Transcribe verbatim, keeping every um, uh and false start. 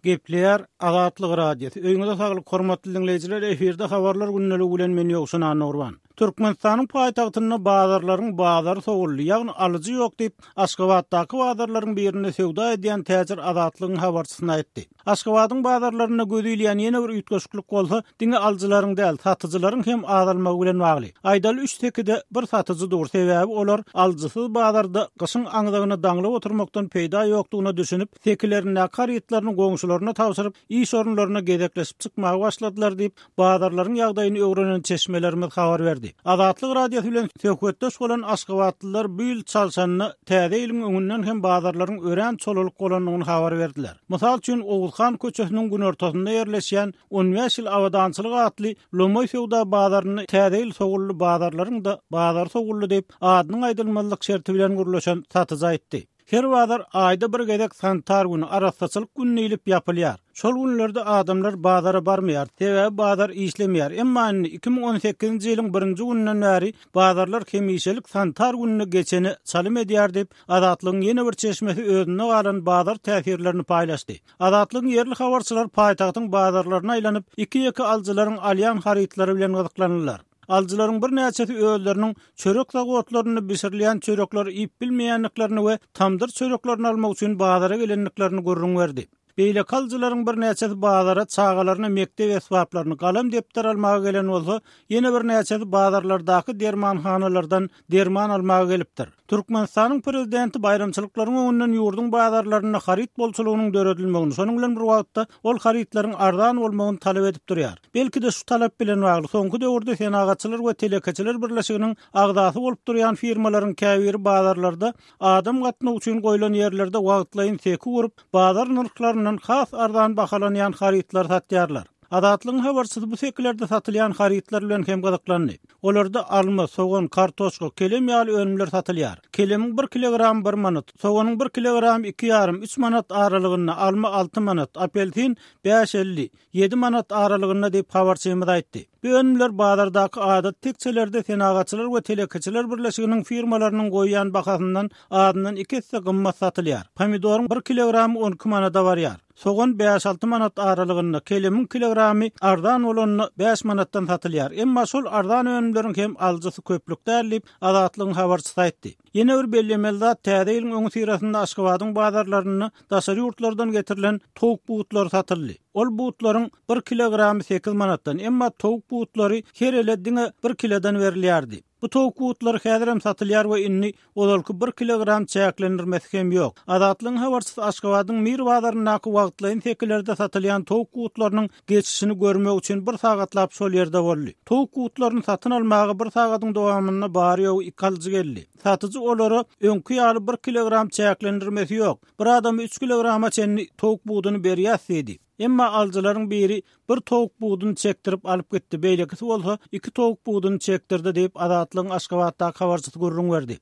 Gepleýär Azatlyk Radiosy. Öýüňize saglyk, hormatly diňleýjiler, efirde habarlar gündeligi bilen men Ýowşan Annagurban. Türkmenistanyň paýtagtynda bazarlaryň bazary sowuldy, ýagny alyjy ýok diýip, Aşgabatdaky bazarlaryň birinde söwda edýän täjir Azatlygyň habarçysyna aýtdy. Aşgabadyň bazarlarynda göz ilýän ýene bir üýtgeşiklik bolsa, diňe alyjylaryň däl, satyjylaryň hem azalmagy bilen bagly. Aýdaly üç sekide bir satyjy dur, sebäbi olar alyjysyz bazarda gyşyň aňzagyna daňlyp oturmakdan peýda ýokdugyna düşünip, sekilerindäki harytlaryny goňşularyna tabşyryp, iş orunlaryna gezekleşip çykmaga başladylar diýip, bazarlaryň ýagdaýyny öwrenen çeşmelerimiz habar berdi. Azatlyk Radiosy bilen söhbetdeş bolan aşgabatlylar bu ýyl çalşanda täze ýylyň öňünden hem bazarlaryň örän çolalyk bolandygyny habar berdiler. Mysal üçin, Oguzhan köçesiniň günortasynda ýerleşýän on bäş ýyl abadançylyk atly Lomoý söwda bazarynda täze ýyl sowully bazarlaryň da bazar sowully diýip, adynyň aýdylmazlyk şerti bilen gürleşen satyjy aýtdy. Her bazar aýda bir gezek sanitar güni, arassaçylyk güni diýlip ýapylýar. Şol günlerde adamlar bazara barmaýar, sebäbi bazar işlemeýär. Emma indi iki müň on sekizinji ýylyň birinji gününden bäri bazarlar hemişelik sanitar gününe geçeni çalym edýär diýip, Azatlygyň ýene bir çeşmesi özünde galan bazar täsirlerini paýlaşdy. Azatlygyň ýerli habarçylary paýtagtyň bazarlaryna aýlanyp, iki-ýeke alyjylaryň alýan harytlary bilen gyzyklandylar. Alyjylaryň birnäçesi özleriniň çörek zawodlarynda bişirilýän çörekleri iýip bilmeýändiklerini we tamdyr çöreklerini almak üçin bazara gelendiklerini gürrüň berdi. Beýleki alyjylaryň birnäçesi bazara çagalaryna mekdep esbaplaryny, galam depder almaga gelen bolsa, ýene birnäçesi bazarlardaky dermanhanalardan derman almaga gelipdir. Türkmenistanyň prezidenti baýramçylyklaryň öňünden ýurduň bazarlarynda haryt bolçulygynyň döredilmegini, şonuň bilen bir wagtda ol harytlaryň arzan bolmagyny talap edip durýar. Belki-de şu talap bilen bagly soňky döwürde Senagatçylar we Telekeçiler birleşiginiň agzasy bolup durýan firmalaryň käbiri bazarlarda adam gatnawy üçin goýlan ýerlerde wagtlaýyn seki gurup, bazar nyrhlaryndan has arzan bahalanýan harytlary satýarlar. Azatlygyň habarçysy bu sekilerde satylýan harytlar bilen hem gyzyklandy. Olarda alma, sogan, kartoşka, kelem ýaly önümler satylýar. Kelemiň bir kilogram bir manat, soganyň bir kilogram iki ýarym, üç manat aralygynda, alma alty manat, apelsin bäş elli, ýedi manat aralygynda diýip habarçymyz aýtdy. Bu önümler bazardaky adat tekçelerde Senagatçylar we Telekeçiler birleşiginiň firmalarynyň goýýan bahasyndan azyndan iki esse gymmat satylýar. Pomidoryň bir kilogramy on iki manada barýar. Sogan bäş alty manat aralygynda, kelemiň kilogramy arzan bolanda bäş manatdan satylýar. Emma şol arzan önümleriň hem alyjysy köplük däl diýip Azatlygyň habarçysy aýtdy. Ýene bir bellemeli zat, täze ýylyň öňi syrasynda Aşgabadyň bazarlarynda daşary ýurtlardan getirilen towuk butlary satyldy. Ol butlaryň bir kilogramy sekiz manatdan, emma towuk butlary her ele diňe bir kilodan berilýärdi. Bu towuk butlary häzir hem satylýar we indi ozalky bir kilogram çäklendirmesi hem ýok. Azatlygyň habarçysy Aşgabadyň Mir bazaryndaky wagtlaýyn sekilerde satylýan towuk butlarynyň geçişini görmek üçin bir sagatlap şol ýerde boldy. Towuk butlaryny satyn almaga bir sagatyň dowamynda bary ýogy iki alyjy geldi. Satyjy olara öňki ýaly bir kilogram çäklendirmesi ýok. Bir adama üç kilograma çenli towuk buduny berýär diýdi. Emma alyjylaryň biri bir towuk buduny çekdirip alyp gitdi, beýlekisi bolsa iki towuk buduny çekdirdi diýip Azatlygyň Aşgabatdaky habarçysy gürrüň berdi.